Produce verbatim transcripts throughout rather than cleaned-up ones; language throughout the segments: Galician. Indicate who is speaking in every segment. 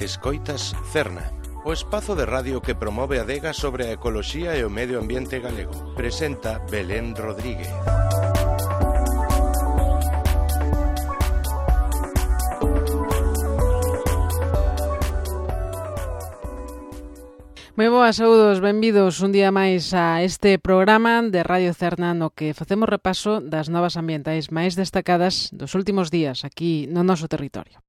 Speaker 1: Escoitas Cerna, o espazo de radio que promove a adega sobre a ecoloxía e o medio ambiente galego. Presenta Belén Rodríguez.
Speaker 2: Moi boas, saúdos, benvidos un día máis a este programa de Radio Cerna no que facemos repaso das novas ambientais máis destacadas dos últimos días aquí no noso territorio.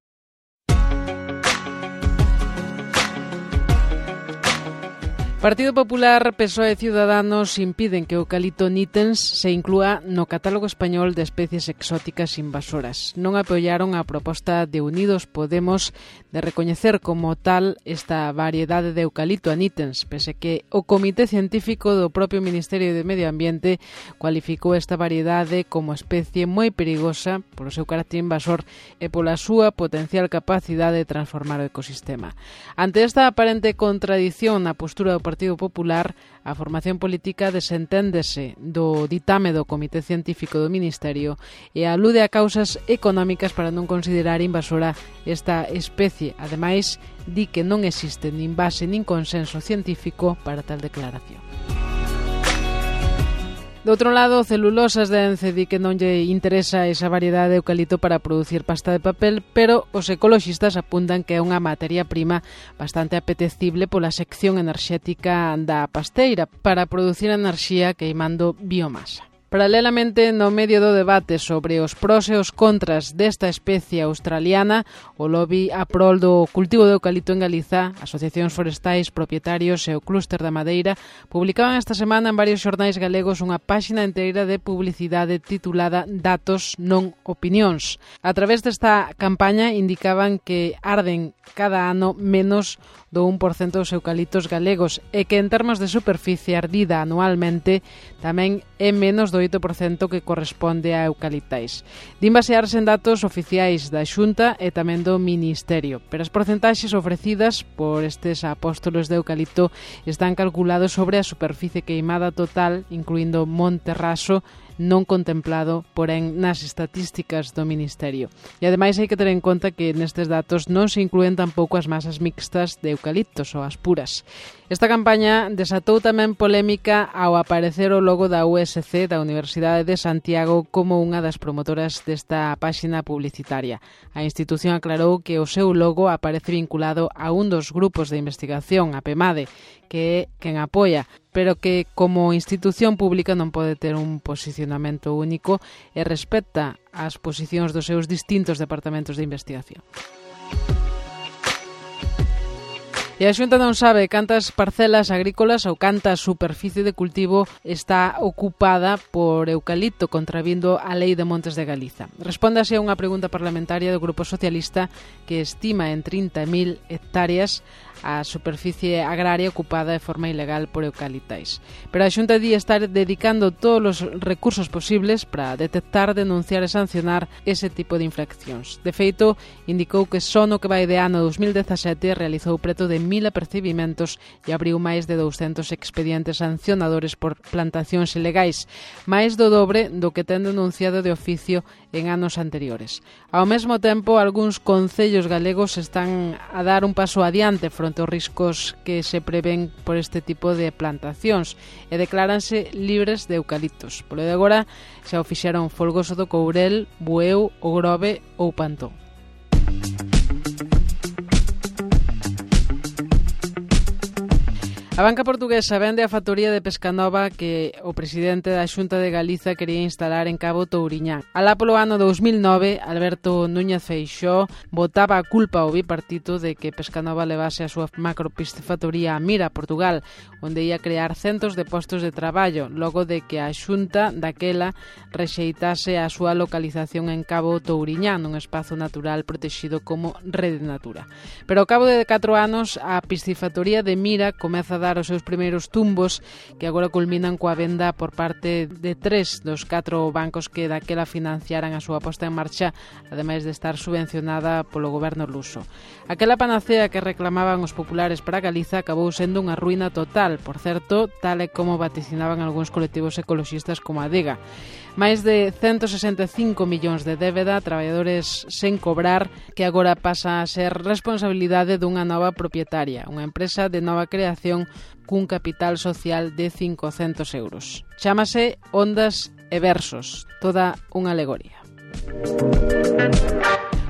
Speaker 2: Partido Popular, P S O E e Ciudadanos impiden que o eucalipto nitens se inclúa no catálogo español de especies exóticas invasoras. Non apoiaron a proposta de Unidos Podemos de recoñecer como tal esta variedade de eucalipto a nitens, pese que o Comité Científico do propio Ministerio de Medio Ambiente cualificou esta variedade como especie moi perigosa polo seu carácter invasor e pola súa potencial capacidade de transformar o ecosistema. Ante esta aparente contradición na postura do Partido Popular, a formación política desenténdese do ditame do Comité Científico do Ministerio e alude a causas económicas para non considerar invasora esta especie. Ademais, di que non existe nin base nin consenso científico para tal declaración. Do outro lado, Celulosas de Ence di que non lle interesa esa variedade de eucalipto para producir pasta de papel, pero os ecoloxistas apuntan que é unha materia prima bastante apetecible pola sección enerxética da pasteira para producir enerxía queimando biomasa. Paralelamente, no medio do debate sobre os pros e os contras desta especie australiana, o lobby a prol do cultivo de eucalipto en Galiza, asociacións forestais, propietarios e o clúster da madeira publicaban esta semana en varios xornais galegos unha páxina inteira de publicidade titulada Datos non opinións. A través desta campaña indicaban que arden cada ano menos do un por cento dos eucaliptos galegos e que en termos de superficie ardida anualmente tamén é menos do oito por cento que corresponde a eucaliptais. Din basearse en datos oficiais da Xunta e tamén do Ministerio, pero as porcentaxes ofrecidas por estes apóstolos de eucalipto están calculados sobre a superficie queimada total, incluindo Monte Raso, non contemplado, porén, nas estatísticas do Ministerio. E ademais hai que ter en conta que nestes datos non se inclúen tampouco as masas mixtas de eucaliptos ou as puras. Esta campaña desatou tamén polémica ao aparecer o logo da U S C da Universidade de Santiago como unha das promotoras desta páxina publicitaria. A institución aclarou que o seu logo aparece vinculado a un dos grupos de investigación, a PEMADE, que é quen apoia, pero que como institución pública non pode ter un posicionamento único e respecta as posicións dos seus distintos departamentos de investigación. E a Xunta non sabe cantas parcelas agrícolas ou canta superficie de cultivo está ocupada por eucalipto contravindo a Lei de Montes de Galiza. Respóndase a unha pregunta parlamentaria do Grupo Socialista que estima en trinta mil hectáreas a superficie agraria ocupada de forma ilegal por eucaliptais. Pero a Xunta di estar dedicando todos os recursos posibles para detectar, denunciar e sancionar ese tipo de infraccións. De feito, indicou que só no que vai de ano dos mil dezasete realizou preto de mil apercibimentos e abriu máis de douscentos expedientes sancionadores por plantacións ilegais, máis do dobre do que ten denunciado de oficio en anos anteriores. Ao mesmo tempo, algúns concellos galegos están a dar un paso adiante fronte aos riscos que se prevén por este tipo de plantacións e decláranse libres de eucaliptos. Polo de agora, xa o fixeron Folgoso do Courel, Bueu, O Grove ou Pantón. A banca portuguesa vende a factoría de Pescanova que o presidente da Xunta de Galiza quería instalar en Cabo Touriñán. Alá polo ano dous mil nove, Alberto Núñez Feixóo botaba a culpa ao bipartito de que Pescanova levase a súa macropiscifactoría a Mira, Portugal, onde ia crear centos de postos de traballo, logo de que a Xunta daquela rexeitase a súa localización en Cabo Touriñán, nun espazo natural protexido como Rede Natura. Pero ao cabo de catro anos, a piscifactoría de Mira comeza a dar os seus primeiros tumbos que agora culminan coa venda por parte de tres dos catro bancos que daquela financiaran a súa posta en marcha, ademais de estar subvencionada polo goberno luso. Aquela panacea que reclamaban os populares para Galiza acabou sendo unha ruína total, por certo, tal e como vaticinaban algúns colectivos ecoloxistas como a Adega. Máis de ciento sesenta e cinco millóns de débeda, traballadores sen cobrar, que agora pasa a ser responsabilidade dunha nova propietaria, unha empresa de nova creación cun capital social de cincocentos euros. Chámase Ondas e Versos, toda unha alegoría.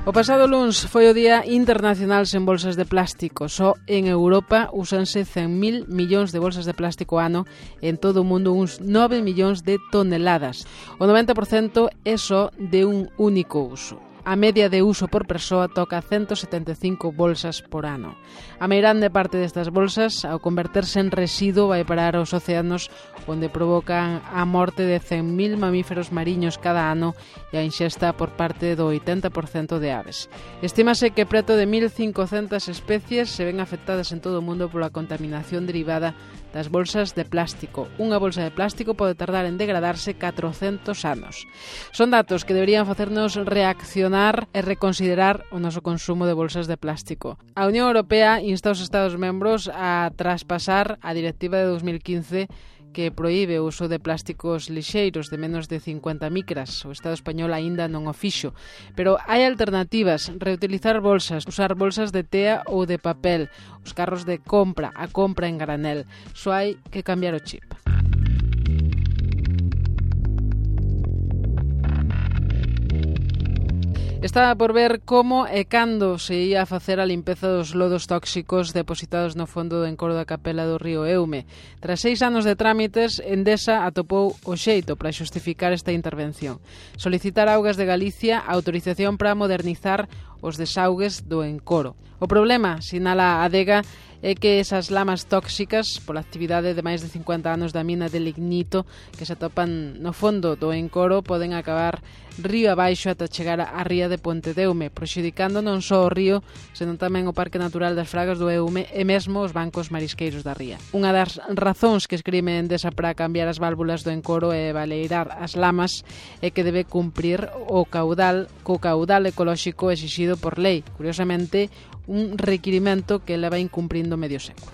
Speaker 2: O pasado luns foi o Día Internacional sen bolsas de plástico. Só en Europa úsanse cen mil millóns de bolsas de plástico ano, en todo o mundo uns nove millóns de toneladas. O noventa por cento é só de un único uso. A media de uso por persoa toca ciento setenta e cinco bolsas por ano. A meirande parte destas bolsas, ao converterse en residuo, vai parar aos océanos, onde provocan a morte de cen mil mamíferos mariños cada ano e a inxesta por parte do oitenta por cento de aves. Estímase que preto de mil cincocentas especies se ven afectadas en todo o mundo pola contaminación derivada das bolsas de plástico. Unha bolsa de plástico pode tardar en degradarse catrocentos anos. Son datos que deberían facernos reaccionar e reconsiderar o noso consumo de bolsas de plástico. A Unión Europea insta aos Estados membros a traspasar a Directiva de dos mil quince que proíbe o uso de plásticos lixeiros de menos de cincuenta micras. O Estado español aínda non o fixo. Pero hai alternativas: reutilizar bolsas, usar bolsas de tea ou de papel, os carros de compra, a compra en granel. Só hai que cambiar o chip. Estaba por ver como e cando se ia a facer a limpeza dos lodos tóxicos depositados no fondo do encoro da capela do río Eume. Tras seis anos de trámites, Endesa atopou o xeito para xustificar esta intervención. Solicitar a Augas de Galicia a autorización para modernizar os desaugues do encoro. O problema, sinala a Adega, é que esas lamas tóxicas, pola actividade de máis de cincuenta anos da mina de lignito que se atopan no fondo do encoro, poden acabar río abaixo ata chegar á ría de Ponte de Eume, prexudicando non só o río, senón tamén o Parque Natural das Fragas do Eume e mesmo os bancos marisqueiros da ría. Unha das razóns que escribe Endesa para cambiar as válvulas do encoro e baleirar as lamas é que debe cumprir o caudal co caudal ecolóxico exixido por lei. Curiosamente, un requirimento que leva incumprindo medio século.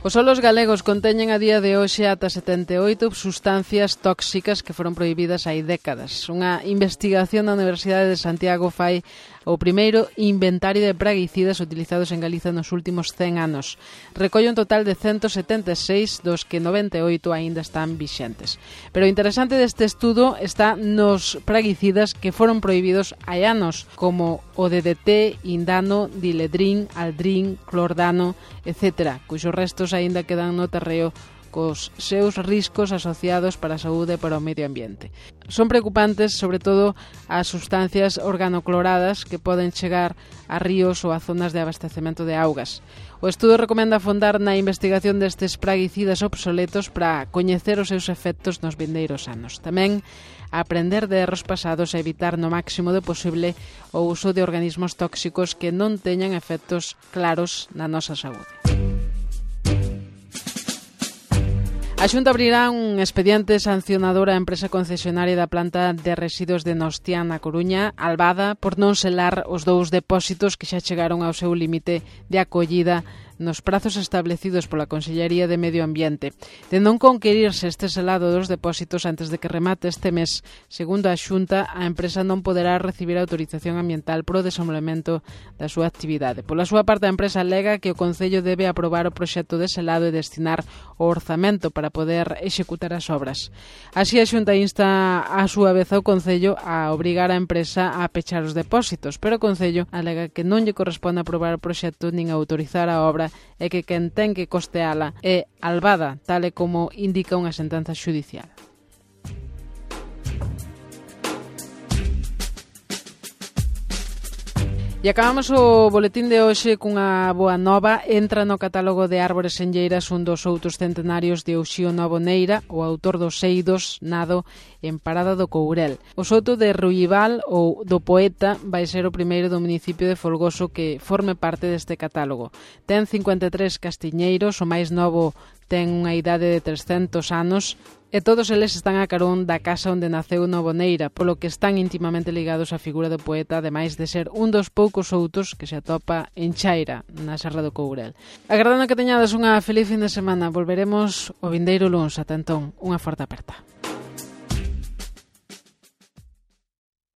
Speaker 2: Os solos galegos conteñen a día de hoxe ata setenta e oito sustancias tóxicas que foron prohibidas hai décadas. Unha investigación da Universidade de Santiago fai o primeiro inventario de praguicidas utilizados en Galiza nos últimos cen anos. Recolle un total de ciento setenta e seis, dos que noventa e oito aínda están vixentes. Pero o interesante deste estudo está nos praguicidas que foron prohibidos hai anos, como o D D T, indano, diledrín, aldrín, clordano, etcétera, cuxos restos aínda quedan no terreo cos seus riscos asociados para a saúde e para o medio ambiente. Son preocupantes, sobre todo, as sustancias organocloradas que poden chegar a ríos ou a zonas de abastecemento de augas. O estudo recomenda afondar na investigación destes praguicidas obsoletos para coñecer os seus efectos nos vindeiros anos. Tamén a aprender de erros pasados e evitar no máximo do posible o uso de organismos tóxicos que non teñan efectos claros na nosa saúde. A Xunta abrirá un expediente sancionador á empresa concesionaria da planta de residuos de Nostián na Coruña, Albada, por non selar os dous depósitos que xa chegaron ao seu límite de acollida nos prazos establecidos pola Consellería de Medio Ambiente. De non conquerirse este selado dos depósitos antes de que remate este mes, segundo a Xunta, a empresa non poderá recibir autorización ambiental pro desenvolvemento da súa actividade. Pola súa parte, a empresa alega que o Concello debe aprobar o proxecto de selado e destinar o orzamento para poder executar as obras. Así, a Xunta insta a súa vez ao Concello a obrigar a empresa a pechar os depósitos, pero o Concello alega que non lle corresponde aprobar o proxecto nin autorizar a obra e que quen ten que costeala é Albada, tal e como indica unha sentenza xudicial. E acabamos o boletín de hoxe cunha boa nova. Entra no catálogo de árbores senlleiras un dos outros centenarios de Uxío Novo Neira, o autor dos Seidos, nado en Parada do Courel. O soto de Ruival ou do Poeta vai ser o primeiro do municipio de Folgoso que forme parte deste catálogo. Ten cincuenta e tres castiñeiros, o máis novo ten unha idade de trescentos anos e todos eles están a carón da casa onde naceu Novoneira, polo que están intimamente ligados á figura do poeta, ademais de ser un dos poucos outos que se atopa en Chaira, na Serra do Courel. Agardando que teñades unha feliz fin de semana, volveremos o vindeiro luns. Ata entón, unha forte aperta.